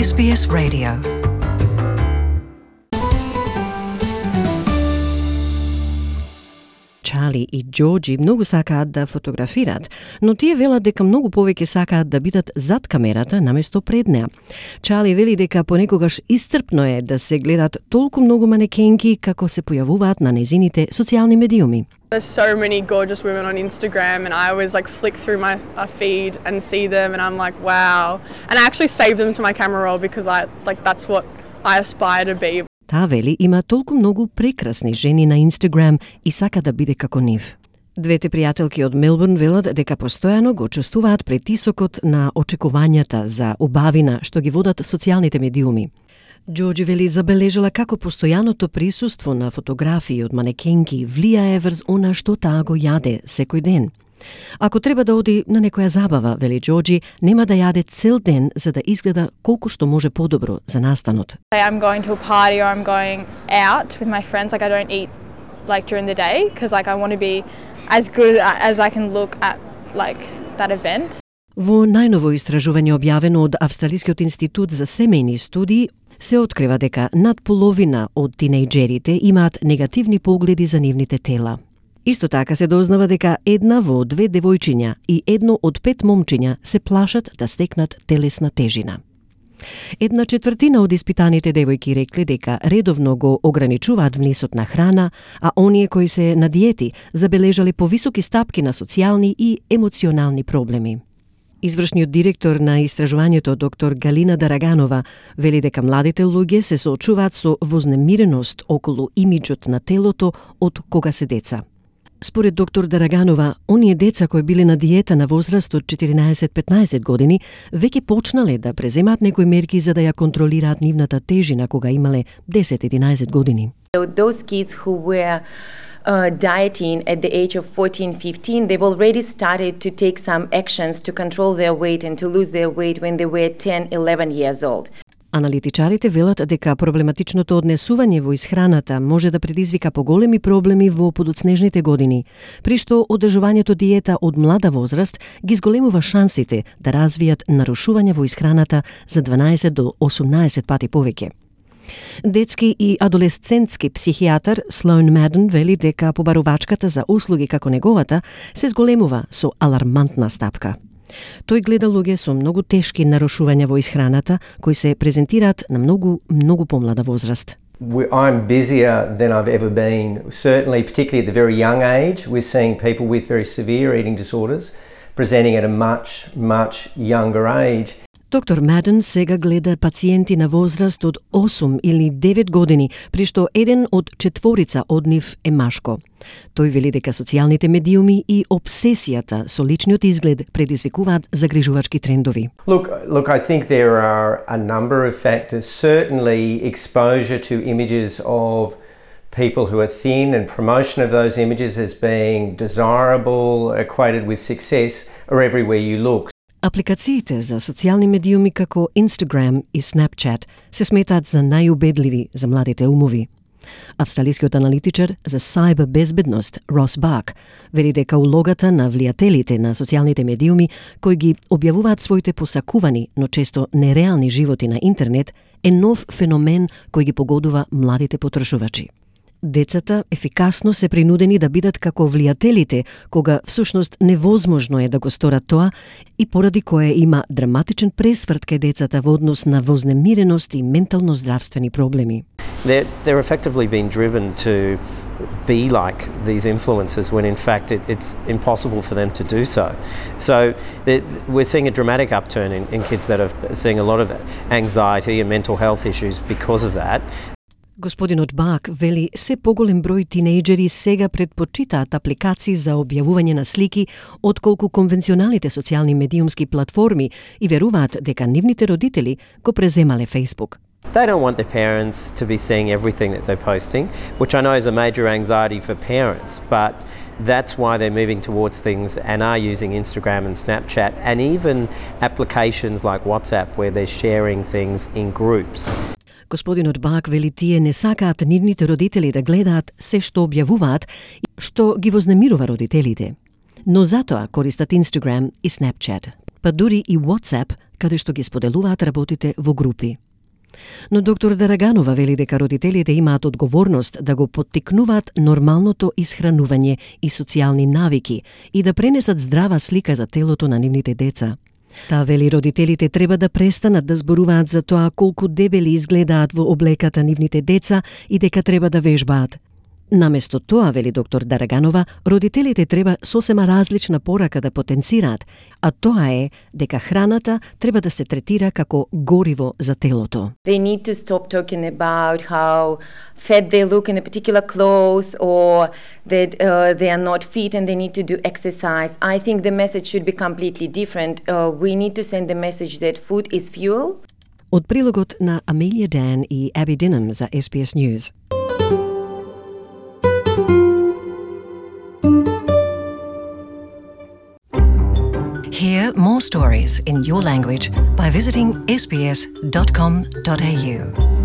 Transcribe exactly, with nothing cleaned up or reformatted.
Ес Би Ес Radio. Чарли и Џорџи многу сакаат да фотографираат, но тие велат дека многу повеќе сакаат да бидат зад камерата наместо пред неа. Чарли вели дека понекогаш исцрпно е да се гледат толку многу манекенки како се појавуваат на незините социјални медиуми. There's so many gorgeous women on Instagram, and I always like flick through my uh, feed and see them, and I'm like, wow. And I actually save them to my camera roll because I like that's what I aspire to be. Таа вели има толку многу прекрасни жени на Инстаграм и сака да биде како нив. Двете пријателки од Мелбурн велат дека постојано го чувствуваат притисокот на очекувањата за убавина што ги водат социјалните медиуми. Џорџи вели забележала како постојаното присуство на фотографии од манекенки влијае врз она што таа го јаде секој ден. Ако треба да оди на некоја забава, вели Џорџи, нема да јаде цел ден за да изгледа колку што може подобро за настанот. I'm going to a party or I'm going out with my friends, like I don't eat like during the day because like I want to be as good as I can look at like that event. Во најново истражување објавено од Австралискиот институт за семејни студии се открива дека над половина од тинејџерите имаат негативни погледи за нивните тела. Исто така се дознава дека една во две девојчиња и едно од пет момчиња се плашат да стекнат телесна тежина. Една четвртина од испитаните девојки рекле дека редовно го ограничуваат внесот на храна, а оние кои се на диети забележале повисоки стапки на социјални и емоционални проблеми. Извршниот директор на истражувањето доктор Галина Дараганова вели дека младите луѓе се соочуваат со вознемиреност околу имиџот на телото од кога се деца. Според доктор Дараганова, оние деца кои биле на диета на возраст од четиринаесет-петнаесет години веќе почнале да преземаат некои мерки за да ја контролираат нивната тежина кога имале десет-единаесет години. Those kids who were uh, dieting at the age of fourteen fifteen, they've already started to take some actions to control their weight and to lose their weight when they were ten eleven years old. Аналитичарите велат дека проблематичното однесување во исхраната може да предизвика поголеми проблеми во подоцнежните години, при што одржувањето диета од млада возраст ги зголемува шансите да развијат нарушување во исхраната за дванаесет до осумнаесет пати повеќе. Детски и адолесцентски психијатар Слоун Маден вели дека побарувачката за услуги како неговата се зголемува со алармантна стапка. Тој гледа луѓе со многу тешки нарушувања во исхраната кои се презентираат на многу, многу помлада возраст. I'm busier than I've ever been, certainly particularly at the very young age. We're seeing people with very severe eating disorders presenting at a much, much younger age. Доктор Маден сега гледа пациенти на возраст од осум или девет години, при што еден од четворица од нив е машко. Тој вели дека социјалните медиуми и обсесијата со личниот изглед предизвикуваат загрижувачки трендови. Look, look, I think there are a number of factors. Certainly exposure to images of people who are thin and promotion of those images as being desirable, equated with success, are everywhere you look. Апликациите за социјални медиуми како Instagram и Snapchat се сметаат за најубедливи за младите умови. Австралискиот аналитичар за сайбер безбедност Рос Бак вели дека улогата на влијателите на социјалните медиуми кои ги објавуваат своите посакувани, но често нереални животи на интернет е нов феномен кој ги погодува младите потрошувачи. Децата ефикасно се принудени да бидат како влијателите, кога всушност невозможно е да го сторат тоа и поради кое има драматичен пресврт кај децата во однос на вознемиреност и ментално здравствени проблеми. They're, they're effectively being driven to be like these influencers when in fact it, it's impossible for them to do so. So we're seeing a dramatic upturn in, in kids that are seeing a lot of anxiety and mental health issues because of that. Господинот Бак вели се поголем број тинејџери сега предпочитаат апликации за објавување на слики отколку конвенционалните социјални медиумски платформи и веруваат дека нивните родители го преземале Facebook. They don't want their parents to be seeing everything that they're posting, which I know is a major anxiety for parents, but that's why they're moving towards things and are using Instagram and Snapchat and even applications like WhatsApp where they're sharing things in groups. Господинот Бак вели тие не сакаат нивните родители да гледаат се што објавуваат, што ги вознемирува родителите. Но затоа користат Instagram и Snapchat. Па дури и WhatsApp каде што ги споделуваат работите во групи. Но доктор Дараганова вели дека родителите имаат одговорност да го поттикнуваат нормалното исхранување и социјални навики и да пренесат здрава слика за телото на нивните деца. Таа вели родителите треба да престанат да зборуваат за тоа колку дебели изгледаат во облеката нивните деца и дека треба да вежбаат. Наместо тоа, вели доктор Дараганова, родителите треба сосема различна порака да потенцираат, а тоа е дека храната треба да се третира како гориво за телото. They need to stop talking about how fat they look in a particular clothes or that uh, they are not fit and they need to do exercise. I think the message should be completely different. Uh, we need to send the message that food is fuel. Од прилогот на Amelia Dan и Abby Dinham за S B S News. Hear more stories in your language by visiting s b s dot com dot a u.